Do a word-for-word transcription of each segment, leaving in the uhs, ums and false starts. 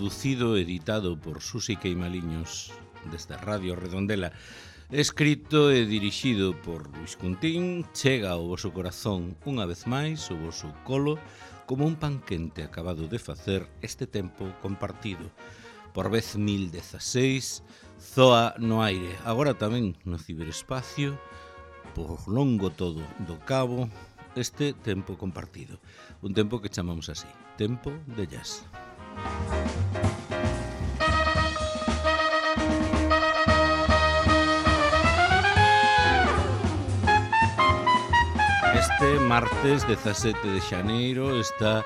producido e editado por Susi Queimaliños desde Radio Redondela, escrito e dirixido por Luis Cuntín, chega ao voso corazón unha vez máis o voso colo como un pan quente acabado de facer este tempo compartido. Por vez mil dezaseis, zoa no aire, agora tamén no ciberespacio, por longo todo do cabo, este tempo compartido. Un tempo que chamamos así, tempo de jazz. Este martes dezasete de xaneiro, esta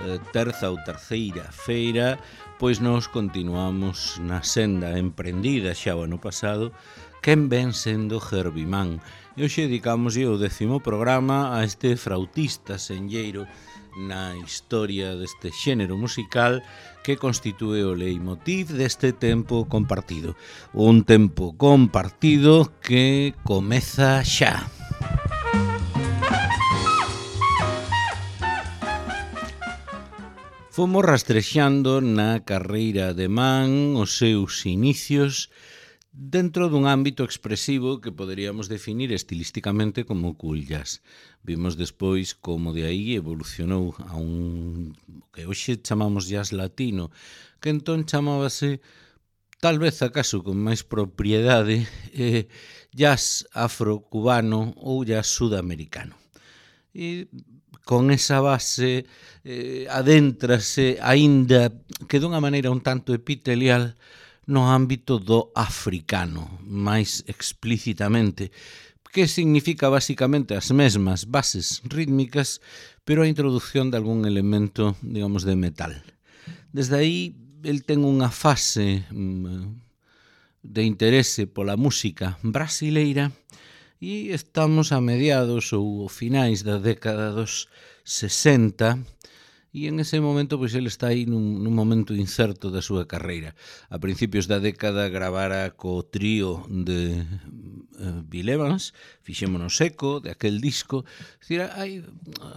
eh, terza ou terceira feira, pois nos continuamos na senda emprendida xa o ano pasado, quen ven sendo Herbie Mann. E hoxe dedicamos o décimo programa a este frautista senlleiro na historia deste xénero musical que constitúe o leitmotiv deste tempo compartido. Un tempo compartido que comeza xa. Fomos rastrexando na carreira de Mann os seus inicios dentro dun ámbito expresivo que poderíamos definir estilísticamente como cool jazz. Vimos despois como de aí evolucionou a un que hoxe chamamos jazz latino, que entón chamábase, tal vez acaso con máis propiedade, eh, jazz afro-cubano ou jazz sudamericano. E con esa base eh, adéntrase aínda que dunha maneira un tanto epitelial no ámbito do africano, máis explícitamente, que significa basicamente as mesmas bases rítmicas, pero a introducción de algún elemento, digamos, de metal. Desde aí, el ten unha fase mm, de interese pola música brasileira e estamos a mediados ou finais da década dos sesenta, e en ese momento pois ele está aí nun, nun momento incerto da súa carreira. A principios da década gravara co trío de uh, Bill Evans, Fixémonos eco de aquel disco. Es decir, hai,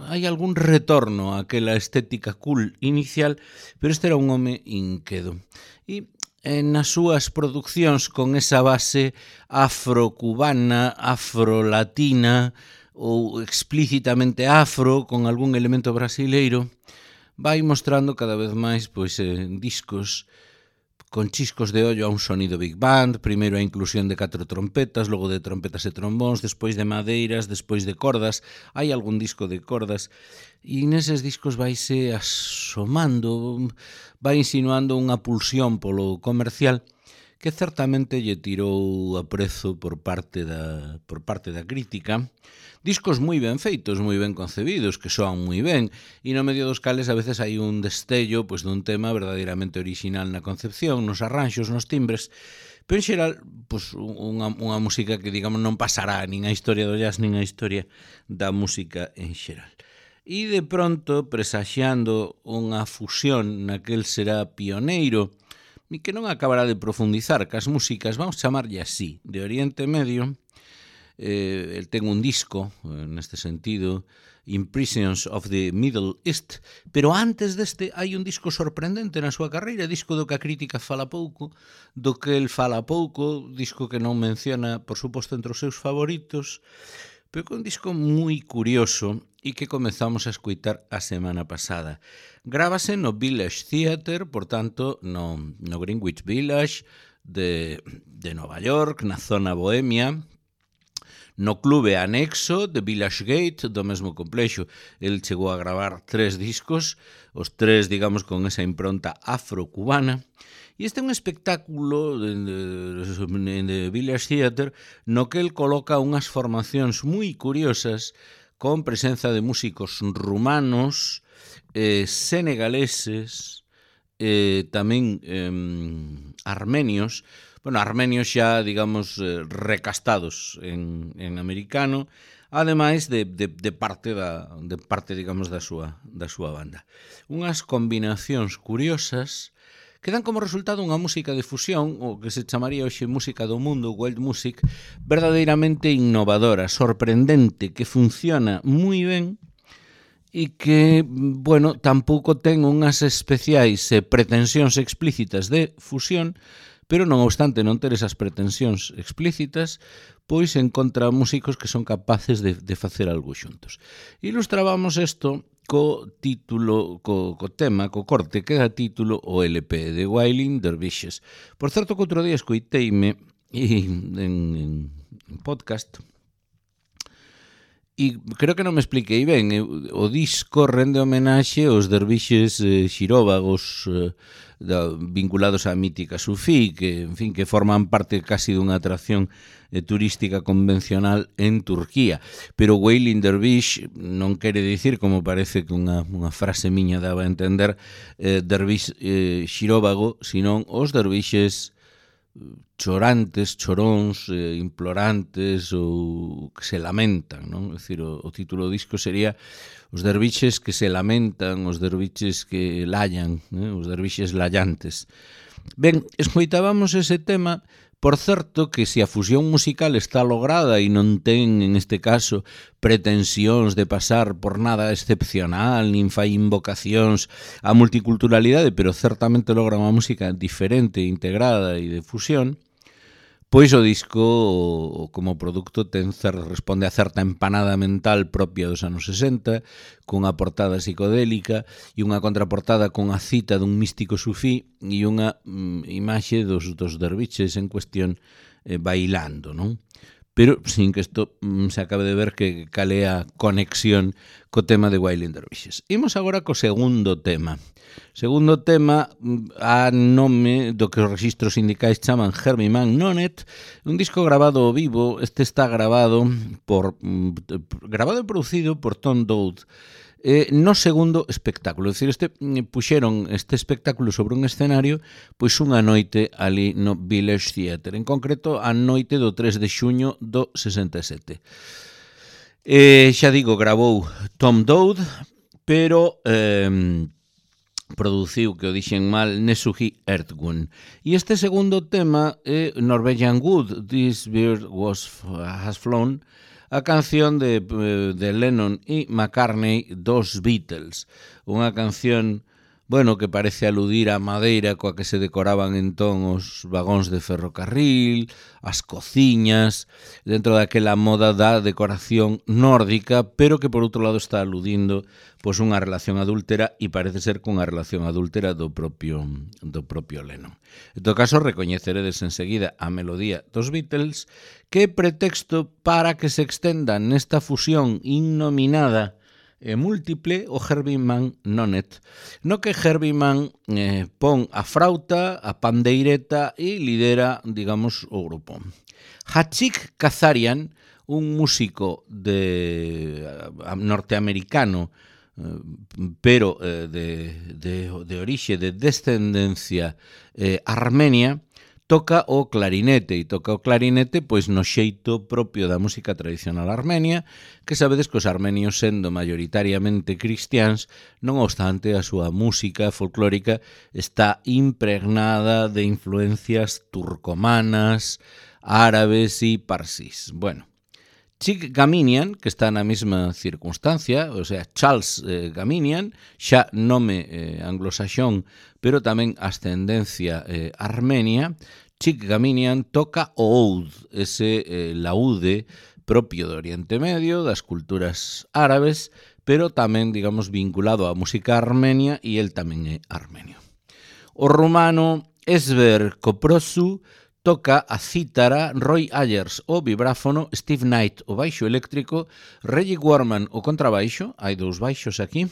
hai algún retorno a aquela estética cool inicial, pero este era un home inquedo. E en nas súas produccións con esa base afro-cubana, afro-latina ou explícitamente afro con algún elemento brasileiro, vai mostrando cada vez máis pois, eh, discos con chiscos de ollo a un sonido big band, primeiro a inclusión de catro trompetas, logo de trompetas e trombóns, despois de madeiras, despois de cordas, hai algún disco de cordas, e neses discos vaise asomando, vai insinuando unha pulsión polo comercial que certamente lle tirou a prezo por parte da, por parte da crítica. Discos moi ben feitos, moi ben concebidos, que soan moi ben, e no medio dos cales a veces hai un destello pois, dun tema verdadeiramente original na concepción, nos arranxos, nos timbres, pero en xeral pois, unha, unha música que digamos non pasará nin a historia do jazz nin a historia da música en xeral. E de pronto, presaxiando unha fusión naquel será pioneiro e que non acabará de profundizar cas músicas, vamos chamarlle así, de Oriente Medio. Eh, el ten un disco, neste sentido, Impressions of the Middle East, pero antes deste hai un disco sorprendente na súa carreira, disco do que a crítica fala pouco, do que el fala pouco, disco que non menciona, por suposto, entre os seus favoritos, pero que un disco moi curioso e que comezamos a escoitar a semana pasada. Grábase no Village Theatre, por tanto, no, no Greenwich Village de, de Nova York, na zona bohemia, no clube anexo de Village Gate do mesmo complexo. El chegou a gravar tres discos, os tres, digamos, con esa impronta afro-cubana, e este é un espectáculo de, de, de Village Theatre no que el coloca unhas formacións moi curiosas con presenza de músicos rumanos, eh, senegaleses, eh, tamén eh, armenios, bueno, armenios xa, digamos, eh, recastados en, en americano, ademais de, de, de parte da de parte, digamos, da súa da súa banda. Unhas combinacións curiosas que dan como resultado unha música de fusión, o que se chamaría hoxe música do mundo, world music, verdadeiramente innovadora, sorprendente, que funciona moi ben e que, bueno, tampouco ten unhas especiais eh, pretensións explícitas de fusión, pero non obstante non ter esas pretensións explícitas, pois encontra músicos que son capaces de, de facer algo xuntos. Ilustrábamos isto co título, co, co tema, co corte que dá título o L P de Wailing Dervishes. Por certo que outro día escoiteime en, en, en podcast e creo que non me expliquei ben. O disco rende homenaxe aos dervixes eh, xiróvagos eh, da, vinculados á mítica sufí, que, en fin, que forman parte casi dunha atracción eh, turística convencional en Turquía. Pero Wailing Dervish non quere dicir, como parece que unha, unha frase miña daba a entender, eh, dervix eh, xiróvago, senón os dervixes chorantes, choróns, eh, implorantes ou que se lamentan, non? É dicir, o, o título do disco sería Os dervixes que se lamentan, os dervixes que lallan, eh? Os dervixes lallantes. Ben, escoitábamos ese tema. Por certo que se a fusión musical está lograda e non ten, en este caso, pretensións de pasar por nada excepcional, nin fai invocacións á multiculturalidade, pero certamente logra unha música diferente, integrada e de fusión, pois o disco, como produto, ten cer, responde a certa empanada mental propia dos anos sesenta, cunha portada psicodélica e unha contraportada con a cita dun místico sufí e unha mm, imaxe dos, dos derviches en cuestión eh, bailando, non? Pero sin que isto mm, se acabe de ver que cal é a conexión co tema de Wailing Dervishes. Imos agora co segundo tema. Segundo tema, a nome do que os registros sindicais chaman Herbie Mann Nonnet, un disco grabado ao vivo. Este está grabado por grabado e producido por Tom Dowd eh, no segundo espectáculo. É dicir, este, puxeron este espectáculo sobre un escenario pois unha noite ali no Village Theatre, en concreto a noite do tres de xuño do sesenta e sete. Eh, xa digo, grabou Tom Dowd, pero eh, produciu, que o dixen mal, Nesuhi Ertgun. E este segundo tema é Norwegian Wood, This Bird Was, Has Flown, a canción de, de Lennon e McCartney dos Beatles. Unha canción, bueno, que parece aludir á madeira coa que se decoraban entón os vagóns de ferrocarril, as cociñas, dentro daquela moda da decoración nórdica, pero que por outro lado está aludindo pois unha relación adúltera e parece ser cunha relación adúltera do propio, do propio Lennon. En todo caso, recoñeceredes enseguida a melodía dos Beatles, que é pretexto para que se extenda nesta fusión innominada e múltiple o Herbie Mann Nonnet, no que Herbie Mann eh, pon a frauta, a pandeireta e lidera, digamos, o grupo. Hachik Kazarian, un músico de uh, norteamericano, uh, pero uh, de, de, de orixe, de descendencia eh, armenia, toca o clarinete, e toca o clarinete pois no xeito propio da música tradicional armenia, que sabedes que os armenios, sendo maioritariamente cristiáns, non obstante a súa música folclórica está impregnada de influencias turcomanas, árabes e parsís. Bueno, Chick Gaminian, que está na mesma circunstancia, o sea, Charles eh, Gaminian, xa nome eh, anglosaxón, pero tamén ascendencia eh, armenia. Chick Gaminian toca o oud, ese eh, laúde propio do Oriente Medio, das culturas árabes, pero tamén, digamos, vinculado á música armenia, e el tamén é armenio. O rumano Esber Koprosu toca a cítara, Roy Ayers o vibráfono, Steve Knight o baixo eléctrico, Reggie Warman o contrabaixo, hai dous baixos aquí,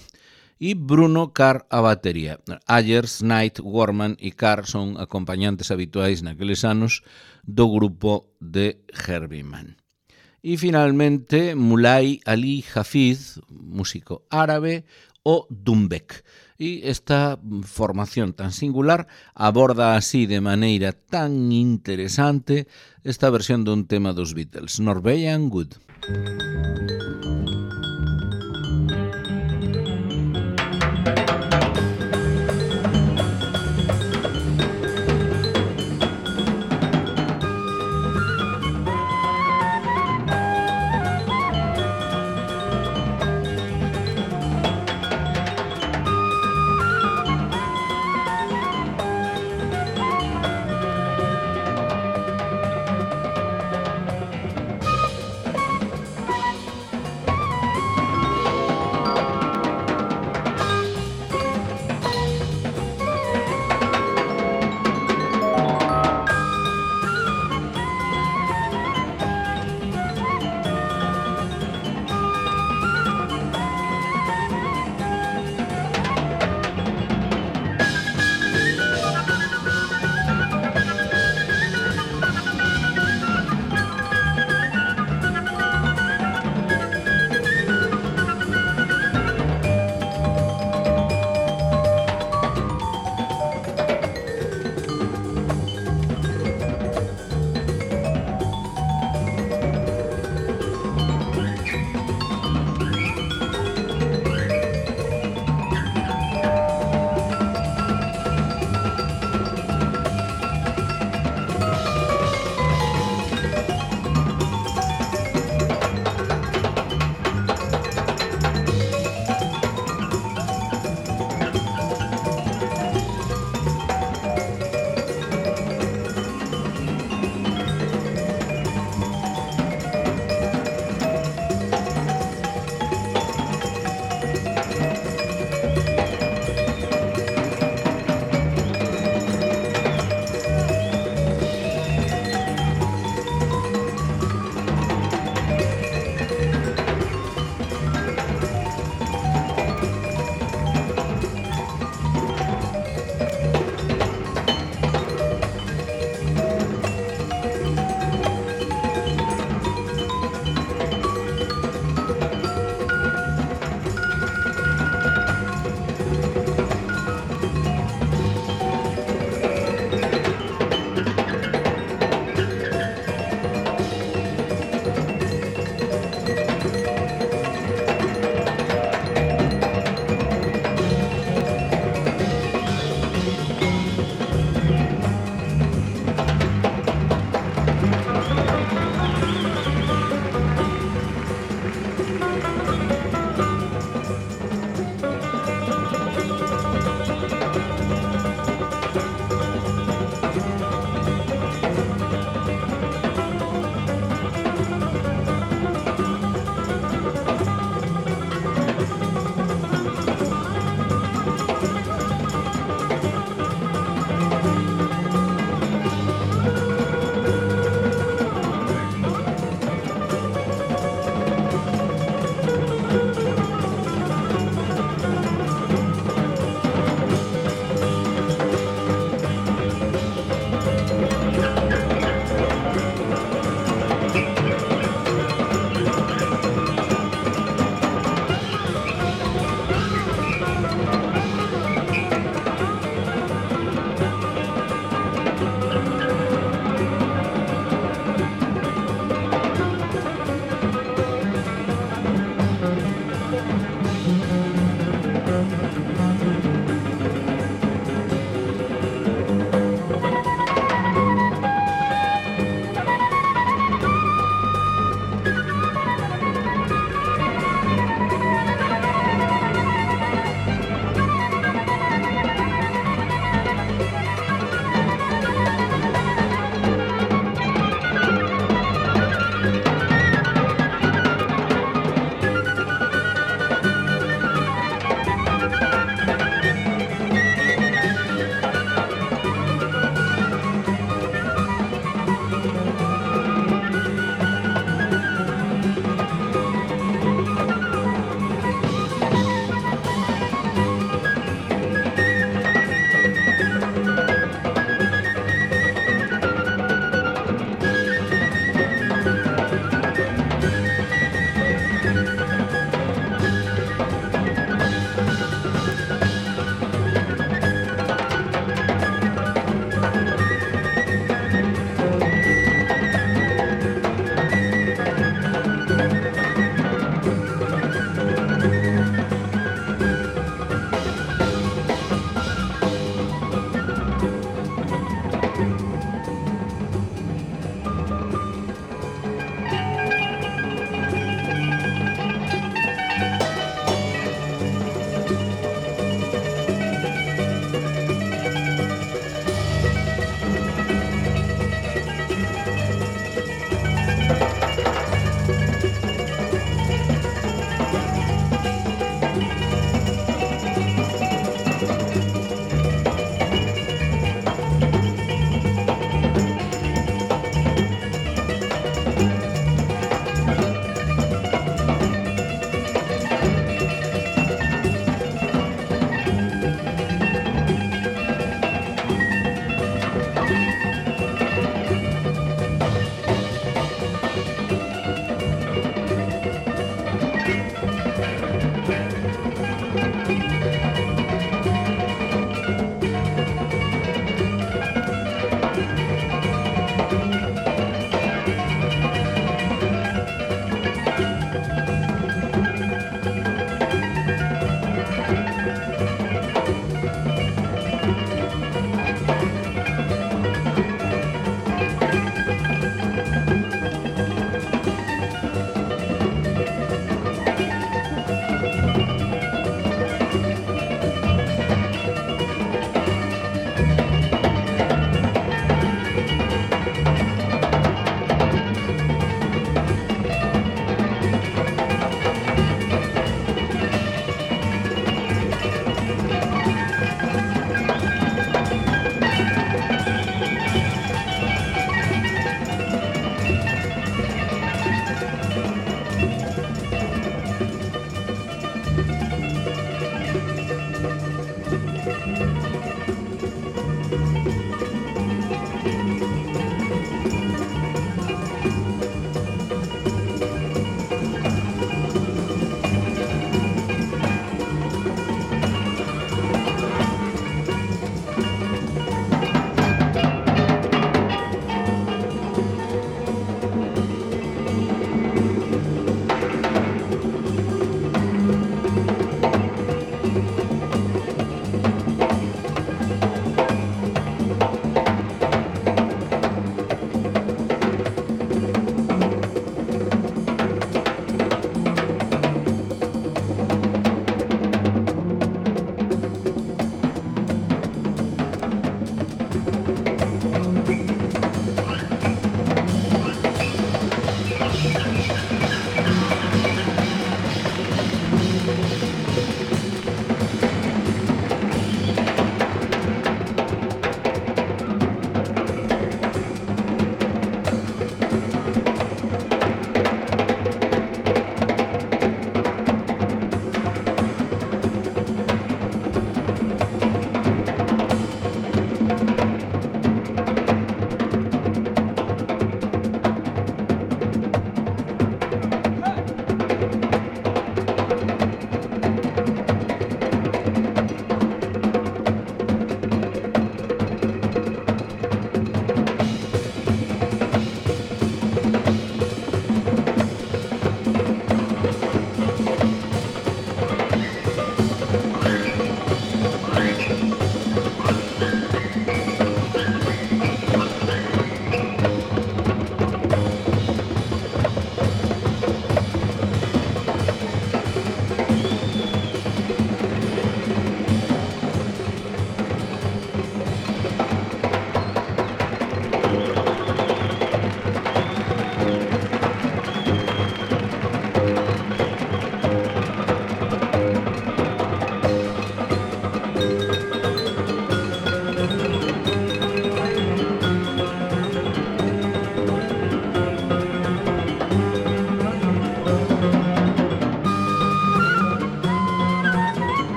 e Bruno Carr a batería. Ayers, Knight, Warman e Carr son acompañantes habituais naqueles anos do grupo de Herbie Mann. E finalmente Mulay Ali Hafiz, músico árabe, o Dumbek. E esta formación tan singular aborda así de maneira tan interesante esta versión dun tema dos Beatles, Norwegian Wood.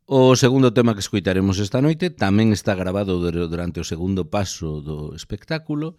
O segundo tema que escoitaremos esta noite tamén está grabado durante o segundo paso do espectáculo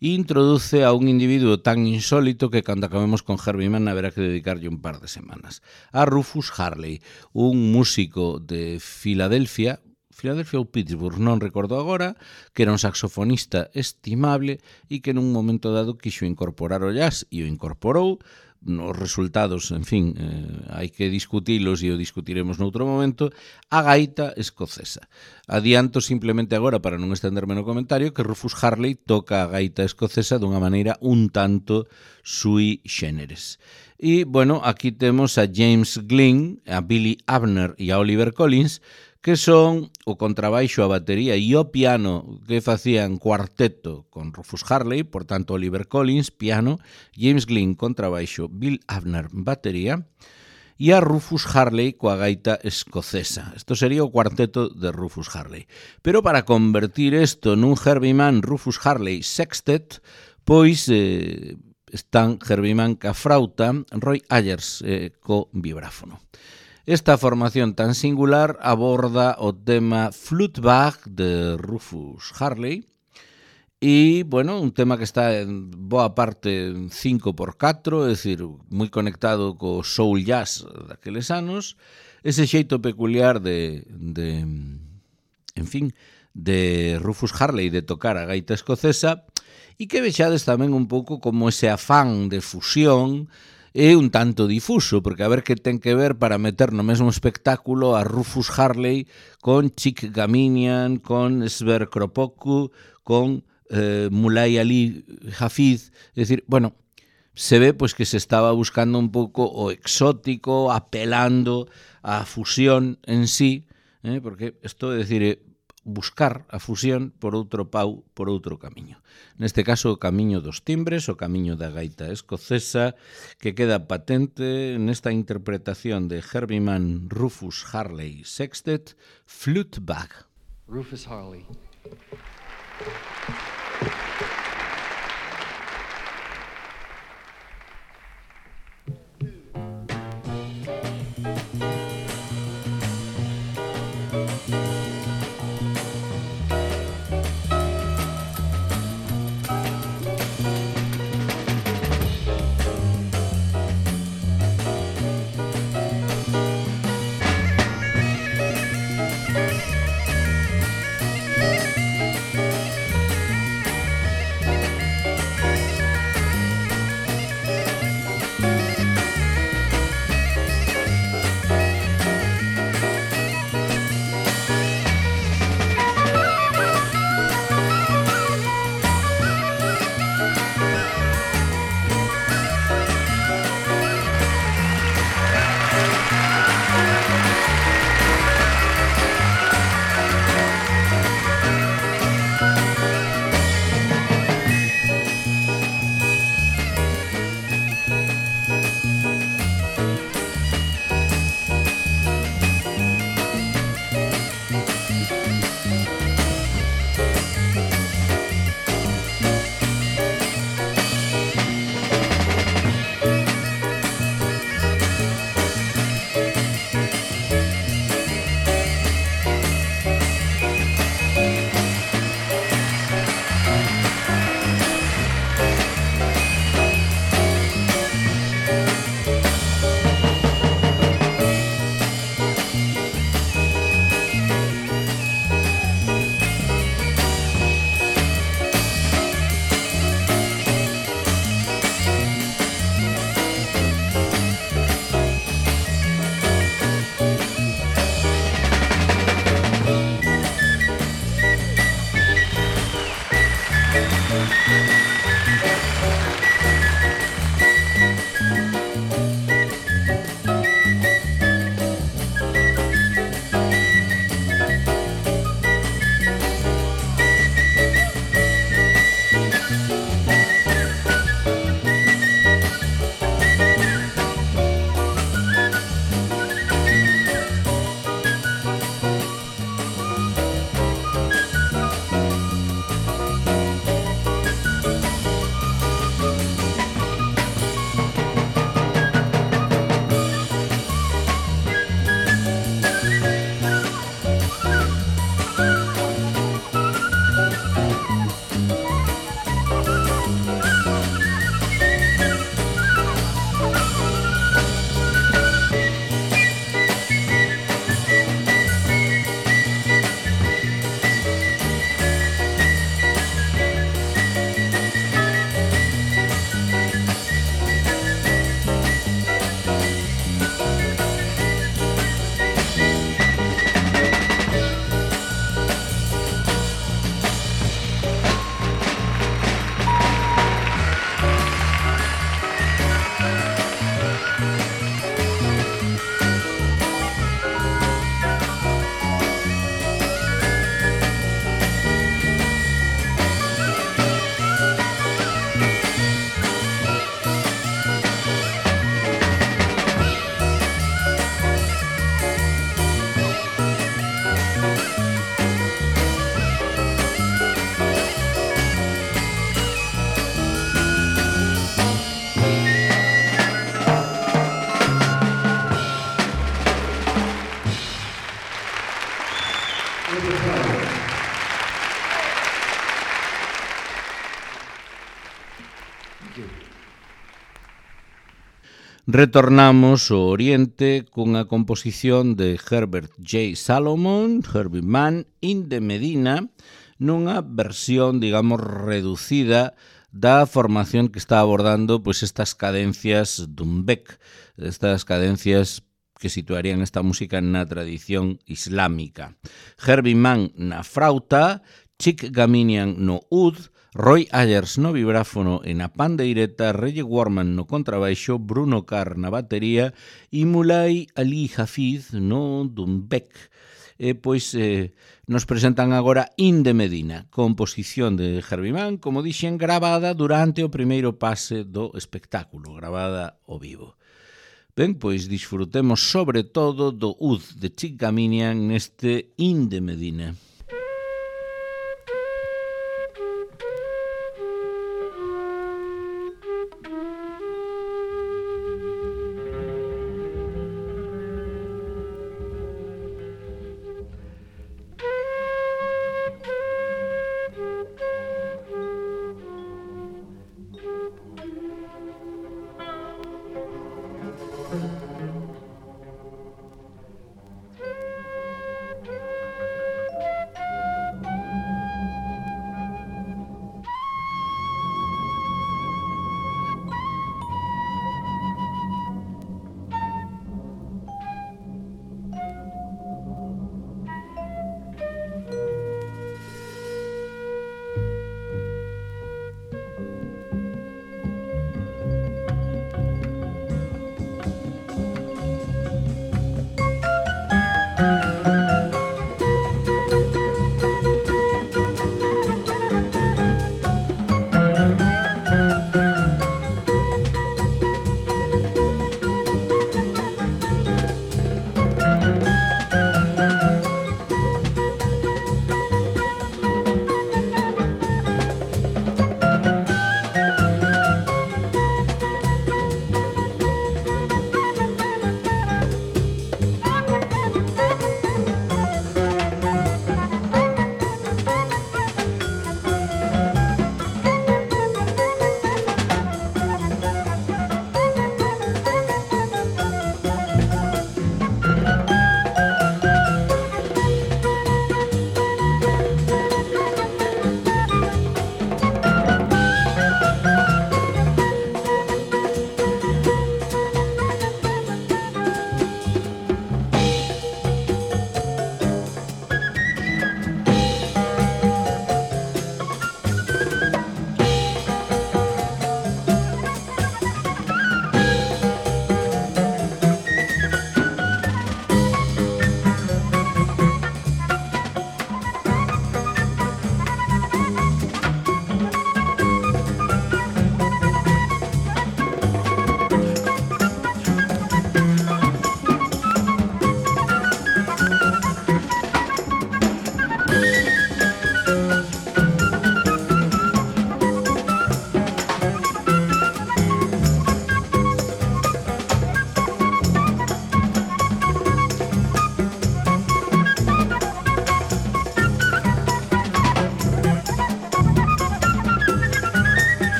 e introduce a un individuo tan insólito que cando acabemos con Herbie Mann haberá que dedicarlle un par de semanas. A Rufus Harley, un músico de Filadelfia, Filadelfia ou Pittsburgh, non recordo agora, que era un saxofonista estimable e que nun momento dado quixo incorporar o jazz e o incorporou. Os resultados, en fin, eh, hai que discutilos e o discutiremos noutro momento, a gaita escocesa. Adianto simplemente agora, para non estenderme no comentario, que Rufus Harley toca a gaita escocesa dunha maneira un tanto sui generis. E, bueno, aquí temos a James Glynn, a Billy Abner e a Oliver Collins, que son o contrabaixo, a batería e o piano que facían cuarteto con Rufus Harley, por tanto Oliver Collins, piano, James Glynn, contrabaixo, Bill Abner, batería, e a Rufus Harley coa gaita escocesa. Isto sería o cuarteto de Rufus Harley. Pero para convertir isto nun Herbie Mann Rufus Harley sextet, pois eh, están Herbie Mann ca frauta, Roy Ayers eh, co vibráfono. Esta formación tan singular aborda o tema Flutebag de Rufus Harley e, bueno, un tema que está en boa parte en cinco por catro, é dicir, moi conectado co soul jazz daqueles anos, ese xeito peculiar de, de en fin, de Rufus Harley de tocar a gaita escocesa e que vexades tamén un pouco como ese afán de fusión é un tanto difuso, porque a ver que ten que ver para meter no mesmo espectáculo a Rufus Harley con Chick Gaminian, con Sver Kropotkin, con eh, Mulay Ali Hafiz. É dicir, bueno, se ve pois que se estaba buscando un pouco o exótico, apelando á fusión en sí, eh, porque isto é dicir, buscar a fusión por outro pau, por outro camiño. Neste caso, o camiño dos timbres, o camiño da gaita escocesa, que queda patente nesta interpretación de Herbie Mann Rufus Harley sextet, Flutebag. Rufus Harley. Thank you. Retornamos ao Oriente cunha composición de Herbert J. Salomon, Herbie Mann, in the Medina, nunha versión, digamos, reducida da formación que está abordando pois estas cadencias dun Beck, estas cadencias que situarían esta música na tradición islámica. Herbie Mann na frauta, Chick Gaminian no ud, Roy Ayers no vibráfono e na pandeireta, Reggie Warman no contrabaixo, Bruno Carr na batería e Mulay Ali Hafiz no dumbek. E pois eh, nos presentan agora In the Medina, composición de Herbie Mann, como dixen, gravada durante o primeiro pase do espectáculo, gravada ao vivo. Ben, pois disfrutemos sobre todo do ud de Chick Gaminian neste In the Medina.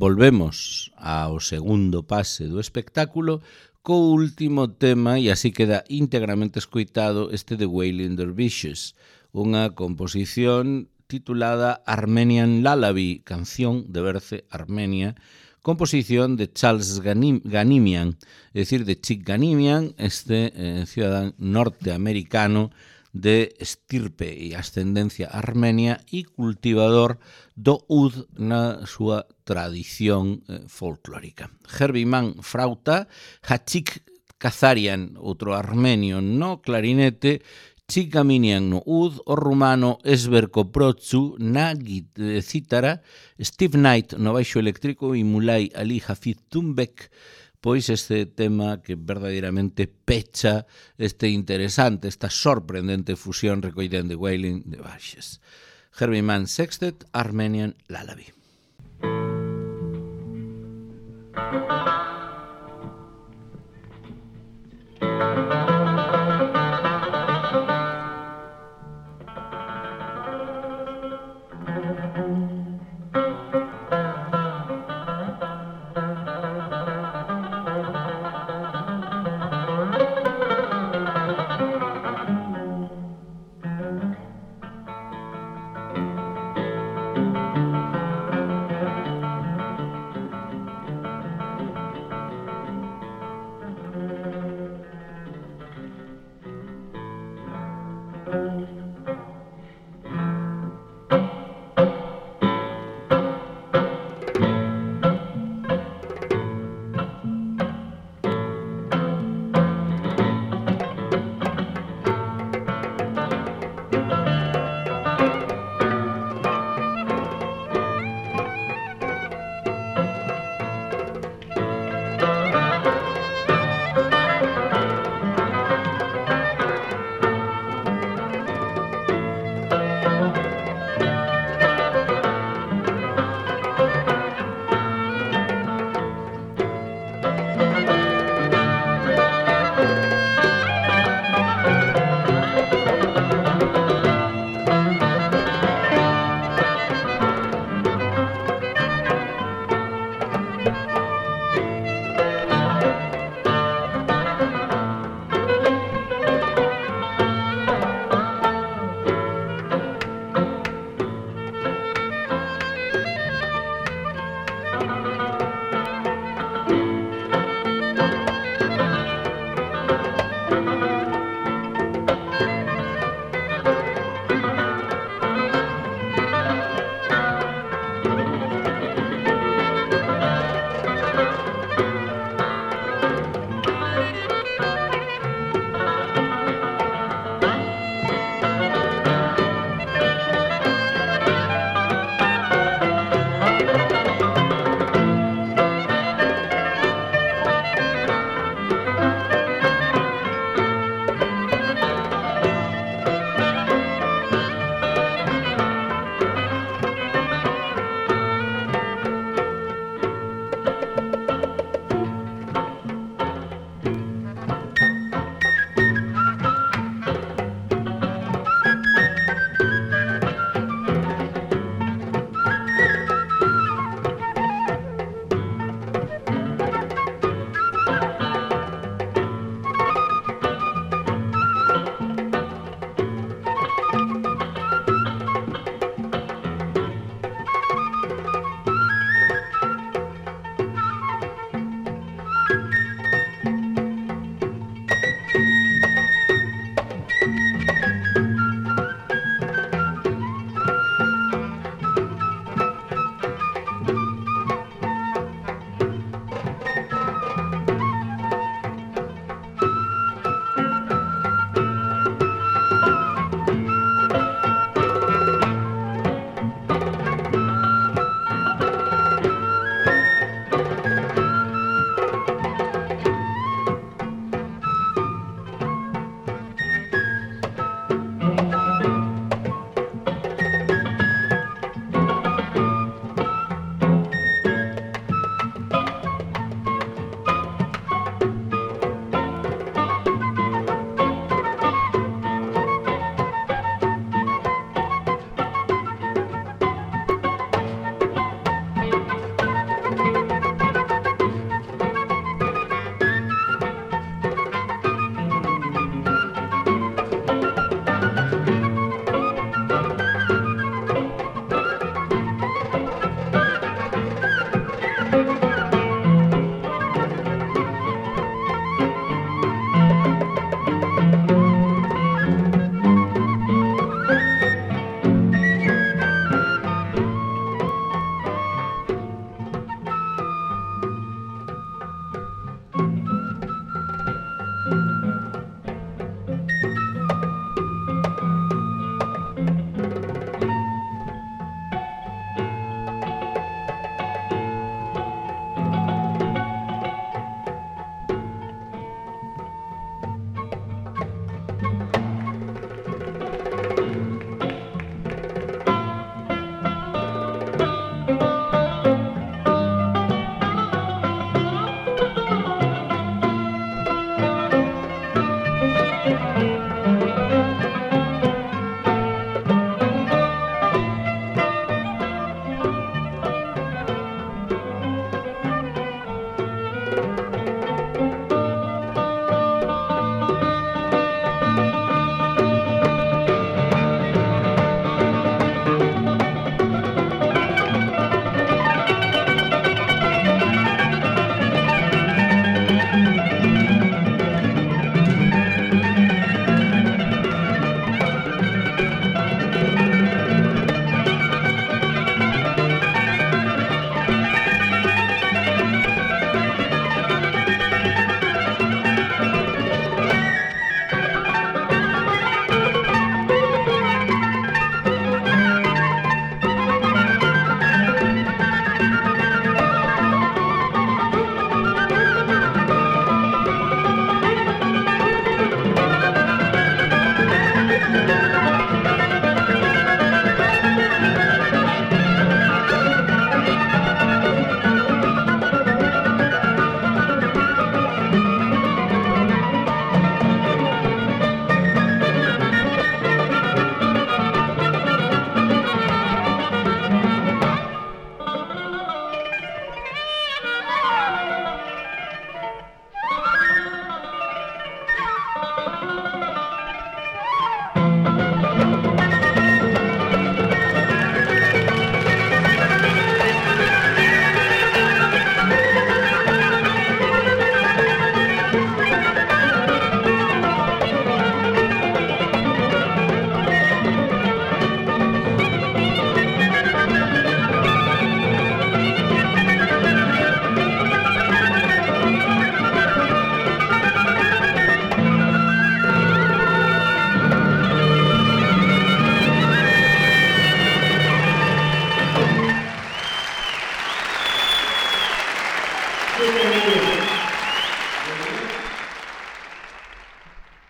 volvemos ao segundo pase do espectáculo co último tema, e así queda íntegramente escoitado este de Wailing Dervishes, unha composición titulada Armenian Lullaby, canción de Berce Armenia, composición de Charles Ganim, Ganimian, é dicir, de Chick Ganimian, este eh, ciudadán norteamericano de estirpe e ascendencia armenia e cultivador do oud na súa tradición eh, folclórica. Herbie Mann frauta, Hachik Kazarian, outro armenio no clarinete, Chick Ganimian no oud, o rumano Esber Koprotsu na cítara, Steve Knight no baixo eléctrico e Mulay Ali Hafid Tumbek, pois este tema que verdadeiramente pecha este interesante, esta sorprendente fusión recollida en The Wailing Dervishes. Herbie Mann Sextet, Armenian Lullaby.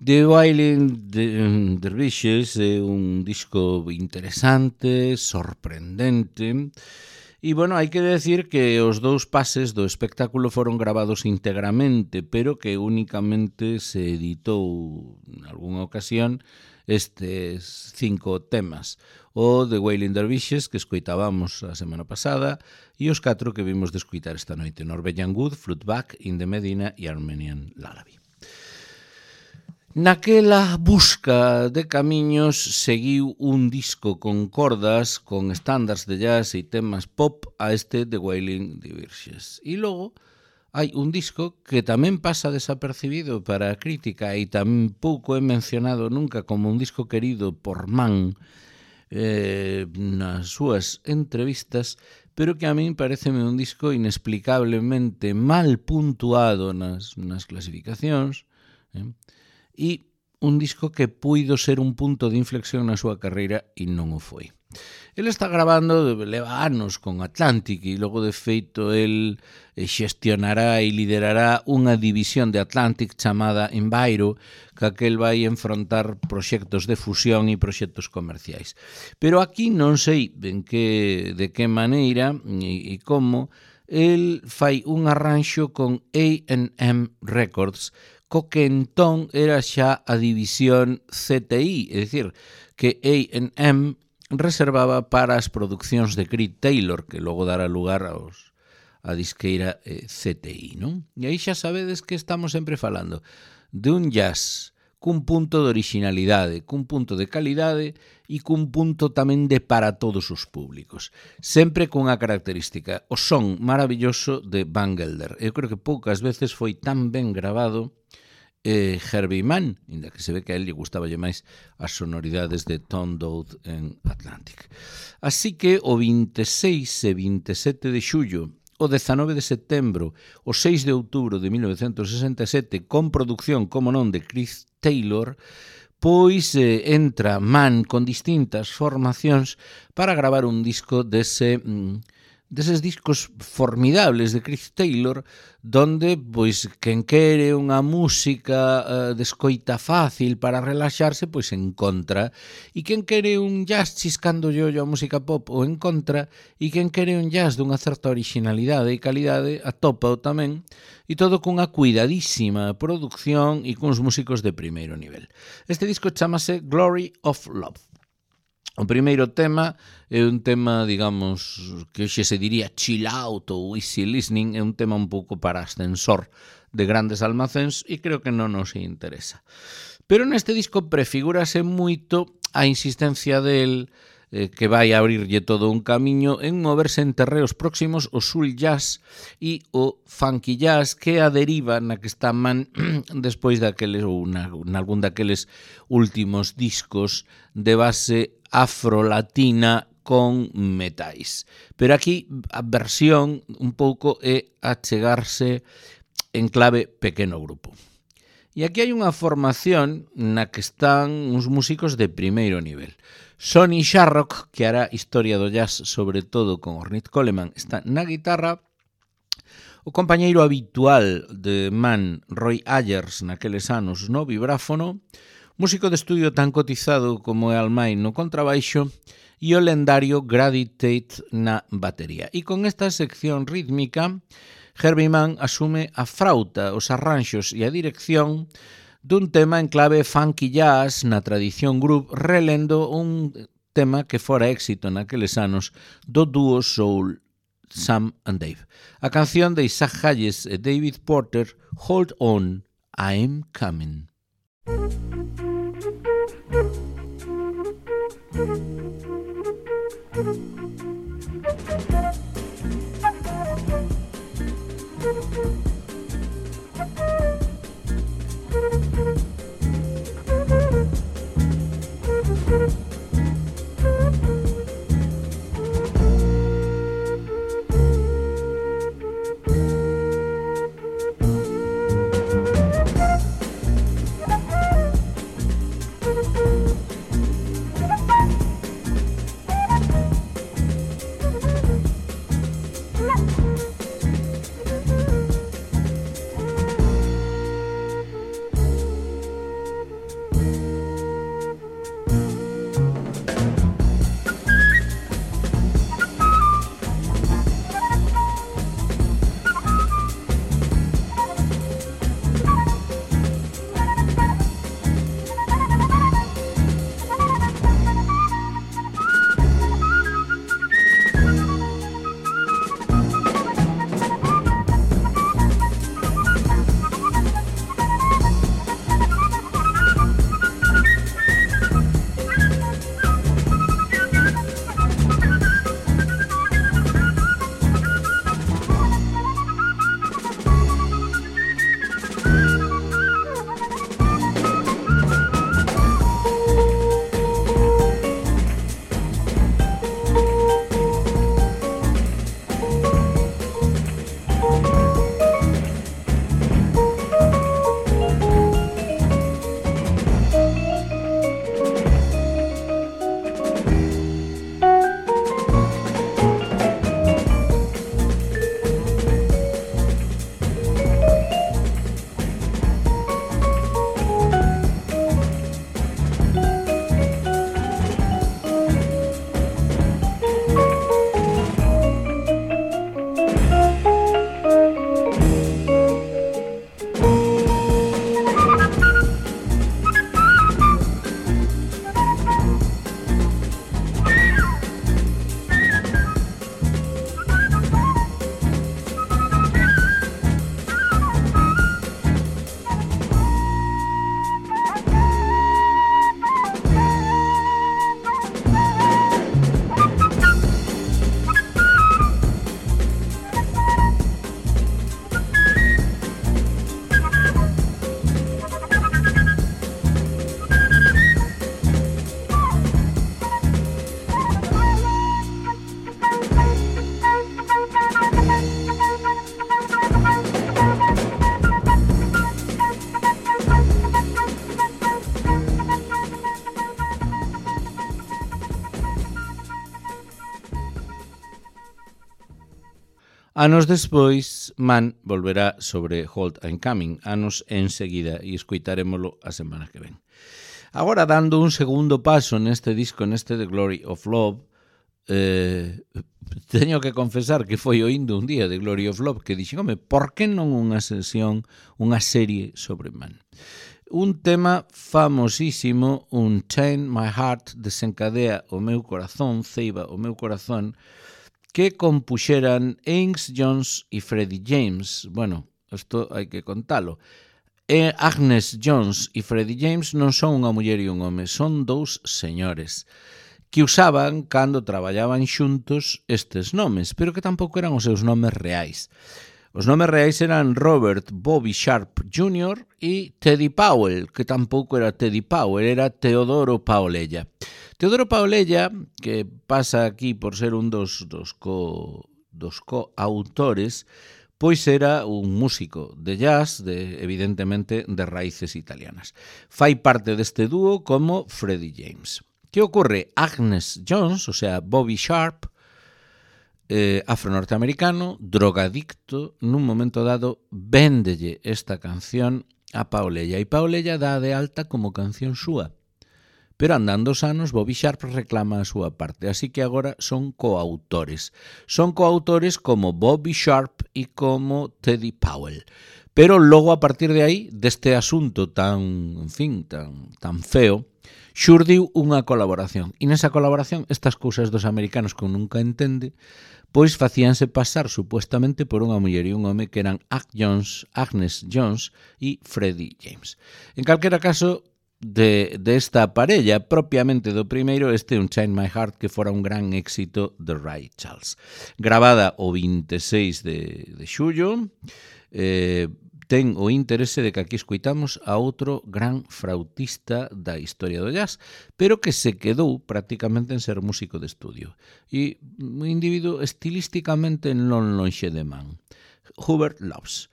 The Wailing Dervishes é un disco interesante, sorprendente, e, bueno, hai que decir que os dous pases do espectáculo foron gravados íntegramente, pero que únicamente se editou en algunha ocasión estes cinco temas. O The Wailing Dervishes, que escoitábamos a semana pasada, e os catro que vimos de escoitar esta noite: Norwegian Wood, Flutback, In the Medina e Armenian Lullaby. Naquela busca de camiños seguiu un disco con cordas, con estándares de jazz e temas pop a este The Wailing Dervishes. E logo hai un disco que tamén pasa desapercibido para a crítica e tampouco é mencionado nunca como un disco querido por Mann eh, nas súas entrevistas, pero que a min pareceme un disco inexplicablemente mal puntuado nas, nas clasificacións, eh? E un disco que puido ser un punto de inflexión na súa carreira e non o foi. Ele está grabando, leva anos con Atlantic e logo de feito el xestionará e liderará unha división de Atlantic chamada Enviro, que aquel vai enfrontar proxectos de fusión e proxectos comerciais. Pero aquí non sei ben que, de que maneira e, e como el fai un arranxo con A and M Records, co que entón era xa a división C T I, é dicir, que A and M reservaba para as producións de Creed Taylor, que logo dará lugar aos, a disqueira eh, C T I, non? E aí xa sabedes que estamos sempre falando de un jazz cun punto de originalidade, cun punto de calidade e cun punto tamén de para todos os públicos. Sempre cunha característica, o son maravilloso de Van Gelder. Eu creo que poucas veces foi tan ben grabado Eh, Herbie Mann, inda que se ve que a él lle gustaballe máis as sonoridades de Tom Dowd en Atlantic. Así que o veintiséis e veintisiete de xullo, o dezanove de setembro, o seis de outubro de mil novecientos sesenta e sete, con producción, como non, de Creed Taylor, pois eh, entra Mann con distintas formacións para gravar un disco dese... Mm, deses discos formidables de Creed Taylor, donde, pois, quen quere unha música uh, de escoita fácil para relaxarse, pois en contra, e quen quere un jazz chiscando yo a música pop o en contra, e quen quere un jazz dunha certa originalidade e calidade atopa o tamén, e todo cunha cuidadísima produción e cuns músicos de primeiro nivel. Este disco chamase Glory of Love. O primeiro tema é un tema, digamos, que hoxe se diría chill out ou easy listening, é un tema un pouco para ascensor de grandes almacéns e creo que non nos interesa. Pero neste disco prefigúrase moito a insistencia del eh, que vai abrirlle todo un camiño en moverse en terreos próximos o soul jazz e o funky jazz, que a deriva na que está Man despois daqueles ou na, nalgún daqueles últimos discos de base afrolatina con metais. Pero aquí a versión un pouco é achegarse en clave pequeno grupo. E aquí hai unha formación na que están uns músicos de primeiro nivel. Sonny Sharrock, que hará historia do jazz sobre todo con Ornette Coleman, está na guitarra. O compañeiro habitual de Man, Roy Ayers, naqueles anos no vibráfono, músico de estudio tan cotizado como é Al May no contrabaixo, e o lendario Grady Tate na batería. E con esta sección rítmica, Herbie Mann asume a frauta, os arranxos e a dirección dun tema en clave funky jazz na tradición groove, relendo un tema que fora éxito naqueles anos do dúo soul Sam and Dave. A canción de Isaac Hayes e David Porter, Hold On, I'm Coming. Anos despois, Man volverá sobre Hold I'm Coming, anos enseguida, e escoitarémolo a semana que ven. Agora, dando un segundo paso neste disco, neste The Glory of Love, eh, teño que confesar que foi oindo un día de Glory of Love que dixen, home, por que non unha sesión, unha serie sobre Man? un tema famosísimo, Unchain My Heart, desencadea o meu corazón, ceiba o meu corazón, que compuxeran Ames Jones e Freddie James. Bueno, isto hai que contalo. E Agnes Jones e Freddie James non son unha muller e un home, son dous señores que usaban, cando traballaban xuntos, estes nomes, pero que tampouco eran os seus nomes reais. Os nomes reais eran Robert Bobby Sharp júnior e Teddy Powell, que tampouco era Teddy Powell, era Teodoro Paolella. Teodoro Paolella, que pasa aquí por ser un dos, dos, co, dos coautores, pois era un músico de jazz, de, evidentemente de raíces italianas. Fai parte deste dúo como Freddie James. Que ocurre? Agnes Jones, o sea, Bobby Sharp, eh, afro-norteamericano, drogadicto, nun momento dado, véndelle esta canción a Paolella. E Paolella dá de alta como canción súa. Pero andando os anos, Bobby Sharp reclama a súa parte, así que agora son coautores. Son coautores como Bobby Sharp e como Teddy Powell. Pero logo, a partir de aí, deste asunto tan, en fin, tan, tan feo, xurdiu unha colaboración. E nesa colaboración, estas cousas dos americanos que nunca entende, pois facíanse pasar supuestamente por unha muller e un home que eran Ag Jones, Agnes Jones e Freddie James. En calquera caso, de, de esta parella, propiamente do primeiro, este Unchain My Heart, que fora un gran éxito de Ray Charles. Gravada o vinte e seis de, de xullo, eh, ten o interese de que aquí escoitamos a outro gran flautista da historia do jazz, pero que se quedou prácticamente en ser músico de estudio. E un individuo estilísticamente non lonxe de man. Hubert Loves.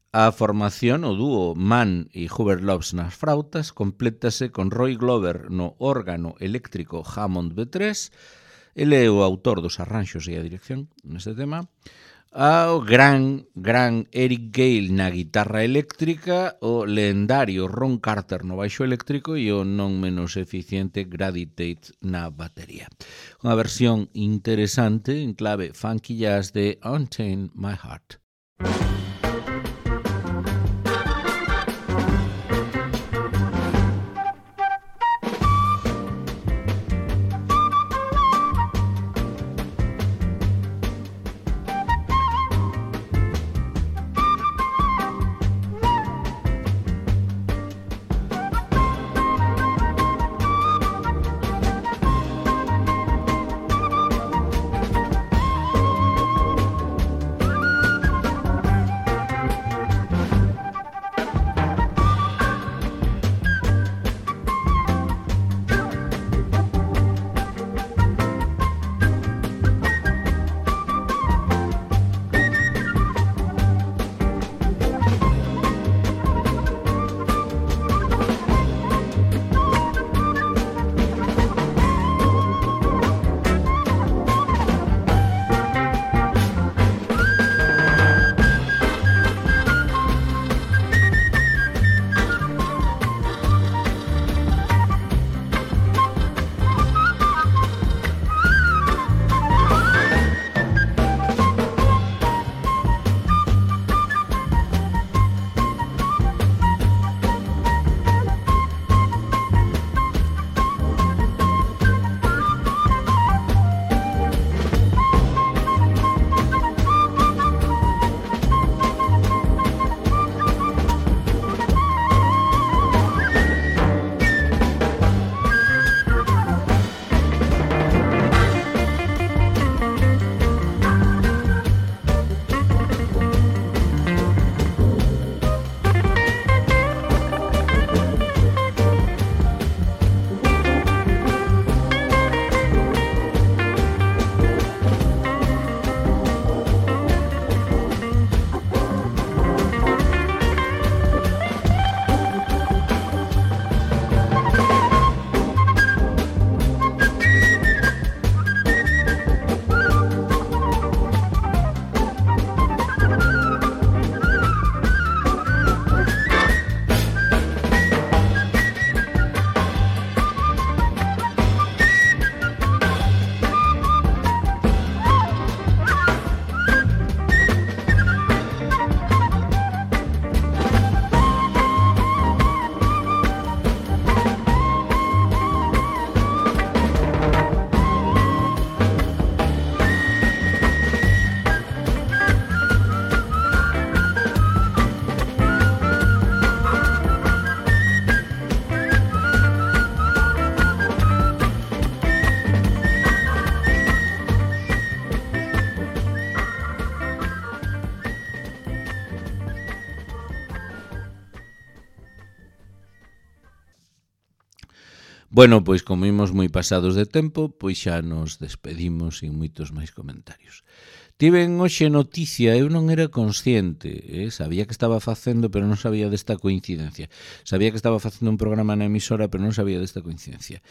A formación, o dúo Mann e Hubert Loves nas frautas, complétase con Roy Glover no órgano eléctrico Hammond B tres, ele é o autor dos arranxos e a dirección neste tema, ao gran, gran Eric Gale na guitarra eléctrica, o lendario Ron Carter no baixo eléctrico e o non menos eficiente Grady Tate na batería. Unha versión interesante en clave funky jazz de Unchain My Heart. Bueno, pois como imos moi pasados de tempo, pois xa nos despedimos sin moitos máis comentarios. Tiven hoxe noticia, eu non era consciente, eh? Sabía que estaba facendo, pero non sabía desta coincidencia. Sabía que estaba facendo un programa na emisora, pero non sabía desta coincidencia.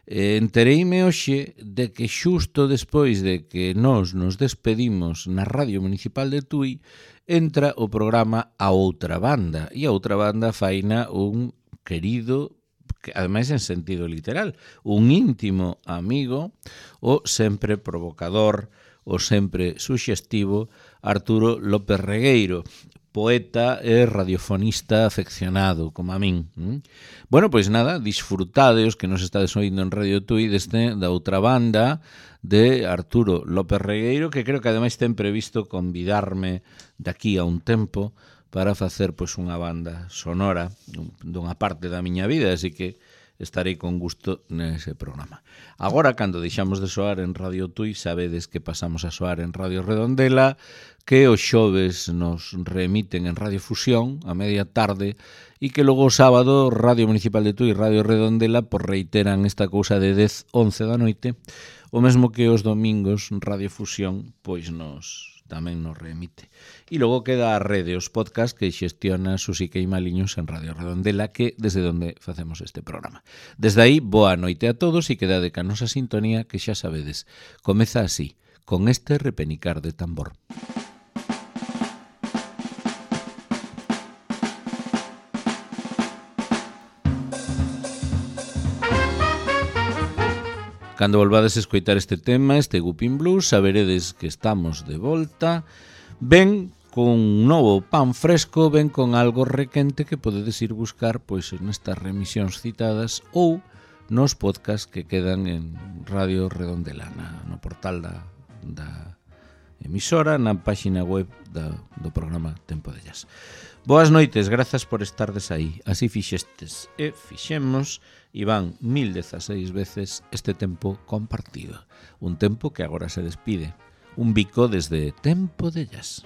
Eh, entereime hoxe de que xusto despois de que nós nos despedimos na Radio Municipal de Tui, entra o programa A Outra Banda, e a Outra Banda faina un querido, que ademais en sentido literal, un íntimo amigo, o sempre provocador, o sempre suxestivo Arturo López Regueiro, poeta e radiofonista afeccionado, como a min. Bueno, pois nada, disfrutade os que nos estades oindo en Radio Tui deste da Outra Banda de Arturo López Regueiro, que creo que ademais ten previsto convidarme daqui a un tempo para facer pois unha banda sonora dunha parte da miña vida, así que estarei con gusto nese programa. Agora, cando deixamos de soar en Radio Tui, sabedes que pasamos a soar en Radio Redondela, que os xoves nos reemiten en Radio Fusión a media tarde e que logo o sábado Radio Municipal de Tui e Radio Redondela por reiteran esta cousa de dez, once da noite, o mesmo que os domingos Radio Fusión pois nos tamén nos reemite. E logo queda a rede, os podcast que xestiona Susi Queimaliños en Radio Redondela, que desde onde facemos este programa. Desde aí, boa noite a todos e quedade ca nosa sintonía que xa sabedes. Comeza así, con este repenicar de tambor. Cando volvades a escoitar este tema, este Gupin Blues, saberedes que estamos de volta. Ven con un novo pan fresco, ven con algo requente que podedes ir buscar pois nestas remisións citadas ou nos podcast que quedan en Radio Redondela, na, no portal da, da emisora, na páxina web da, do programa Tempo de Jazz. Boas noites, grazas por estardes aí. Así fixestes e fixemos e van mil dezaseis veces este tempo compartido. Un tempo que agora se despide. Un bico desde Tempo de Jazz.